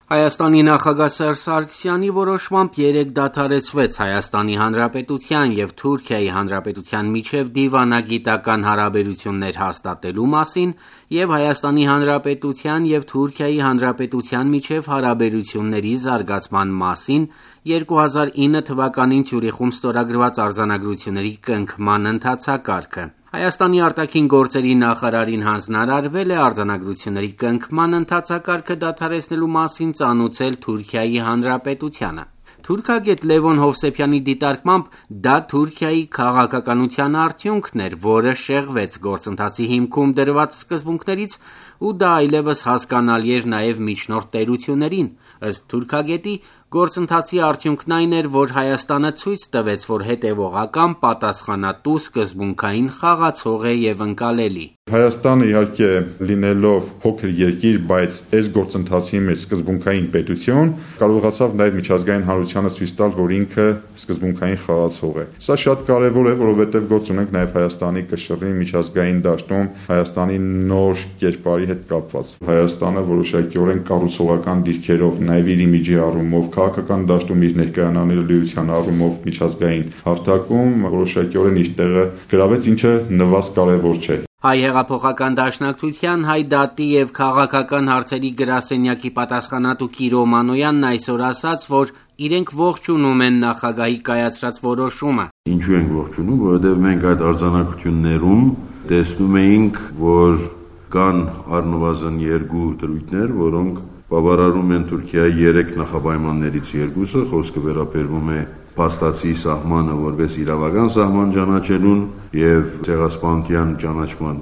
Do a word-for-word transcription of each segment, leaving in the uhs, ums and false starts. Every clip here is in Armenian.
Հայաստանի նախագահ Սերժ Սարգսյանի որոշմամբ երեկ դադարեցվեց Հայաստանի Հանրապետության և Թուրքիայի Հանրապետության միջև դիվանագիտական հարաբերություններ հաստատելու մասին և Հայաստանի Հանրապետության և Թուրքիայի Հանրապետության միջև հարաբերությունների զարգացման մասին երկու հազար ինը թվականին Ցյուրիխում ստորագրված արձանագրությունների կնքման ընթացակարգը։ Հայաստանի արտաքին գործերի նախարարին հանձնարարվել է արձանագրությունների կնքման ընթացակարգը դադարեցնելու մասին ծանուցել Թուրքիայի Հանրապետությանը։ Թուրքագետ Լևոն Հովսեփյանի դիտարկմամբ դա Թուրքիայի քաղաքականության արդյունքն էր, որը շեղվեց գործընթացի հիմքում դրված սկզբունքներից ու դա այլևս հասկանալի էր նաև միջնորդ տերություններին։ Ըստ թուրքագետի, գործընթացի արդյունքն այն էր, որ Հայաստանը ցույց տվեց, որ հետևողական, պատասխանատու, սկզբունքային խաղացող է և ընկալելի։ Հայաստանը իհարկե լինելով փոքր երկիր, բայց այս գործընթացի մեջ սկզբունքային պետություն, կարողացավ նաև միջազգային հանրությանը ցույց տալ, որ ինքը սկզբունքային խաղացող է։ Սա շատ կարևոր է, որովհետև գործ ունենք նաև Հայաստանի կշռի միջազգային դաշտում Հայաստանի նոր կերպարի հետ կապված։ Հայաստանը որոշակիորեն կառուցողական դիրքերով, նաև իր իմիջի առումով, քաղաքական դաշտում իր ներկայանալիության առումով միջազգային հարթակում որոշակիորեն իր տեղը գրավեց, ինչը նվազ կարևոր չէ։ Հայ հեղափոխական դաշնակցության, Հայ դատի և քաղաքական հարցերի գրասենյակի պատասխանատու Կիրո Մանոյանն այսօր ասաց, որ իրենք ողջունում են նախագահի կայացրած որոշումը։ Ինչու ենք ողջունում, որովհետև մենք այդ արձանագրություններում տեսնում էինք, որ կան առնվազն երկու դրույթներ, որոնք բավարարում են Թուրքիայի երեք նախապայմաններից երկուսը, խոսքը վերաբերվում է փաստացի սահմանը որպես իրավական սահման ճանաչելուն և ցեղասպանության ճանաչման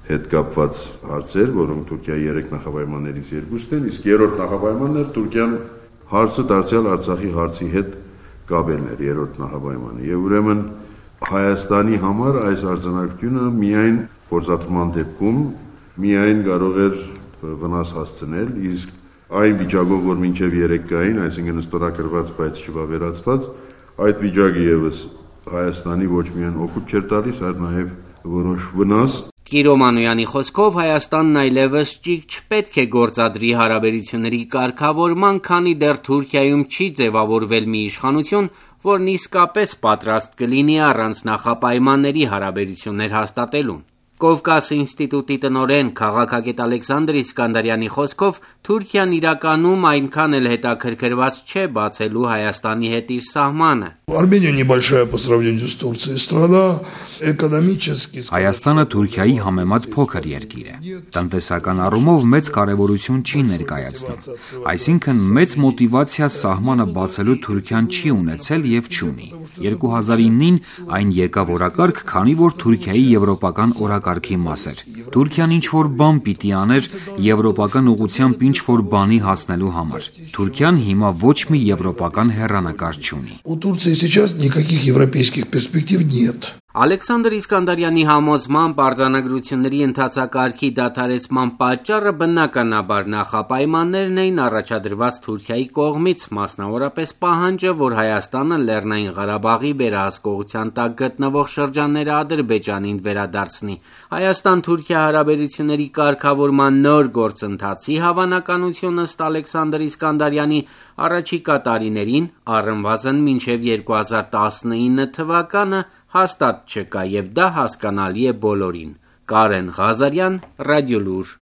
հետ կապված հարցեր, որոնք Թուրքիայի երեք նախապայմաններից երկուսն են, իսկ երրորդ նախապայմանն էր Թուրքիան հարցը դարձյալ Արցախի հարցի հետ կապելն էր երրորդ նախապայմանը։ Եվ ուրեմն Հայաստանի համար այս արձանագրությունը միայն փորձաթման դեպքում միայն կարող էր վնաս հասցնել, իսկ այն վիճակով, որ մինչև երեք կային, այսինքն ստորագրված, բայց չվավերացված, այդ վիճակը ևս Հայաստանի ոչ միայն օգուտ չէր տալիս, այլ նաև որոշ վնաս։ Կիրո Մանոյանի խոսքով Հայաստանն այլևս ճիգ չպետք է գործադրի հարաբերությունների կարգավորման, քանի դեռ Թուրքիայում չի ձևավորվել մի իշխանություն, որն իսկապես պատրաստ կլինի առանց նախապայմանների հարաբերություններ հաստատելուն։ Կովկաս ինստիտուտի տնօրեն քաղաքագետ Ալեքսանդր Իսկանդարյանի խոսքով Թուրքիան իրականում այնքան էլ հետաքրքրված չէ բացելու Հայաստանի հետ իր սահմանը։ Հայաստանը Թուրքիայի համեմատ փոքր երկիր է։ Տնտեսական առումով մեծ կարևորություն չի ներկայացնում։ Այսինքն մեծ մոտիվացիա սահմանը բացելու Թուրքիան չի ունեցել և չունի։ երկու հազար իննին այն եկավ օրակարգ, քանի որ Թուրքիայի եվրոպական օրակարգի մաս էր։ Թուրքիան ինչ-որ բան պիտի աներ եվրոպական ուղղությամբ ինչ-որ բանի հասնելու համար։ Թուրքիան հիմա ոչ մի եվրոպական հեռանկար չունի։ Ալեքսանդր Իսկանդարյանի համոզմամբ արձանագրությունների ընթացակարգի դադարեցման պատճառը բնականաբար նախապայմաններն էին առաջադրված Թուրքիայի կողմից, մասնավորապես պահանջը, որ Հայաստանը Լեռնային Ղարաբաղի վերահսկողության տակ գտնվող շրջանները Ադրբեջանին վերադարձնի։ Հայաստան-Թուրքիա հարաբերությունների կարգավորման նոր գործընթացի հավանականությունը ըստ Ալեքսանդր Իսկանդարյանի առաջիկա տարիներին, առնվազն մինչև երկու հազար տասնինը թվականը հաստատ չկա և դա հասկանալի է բոլորին։ Կարեն Ղազարյան, Ռադիոլուր։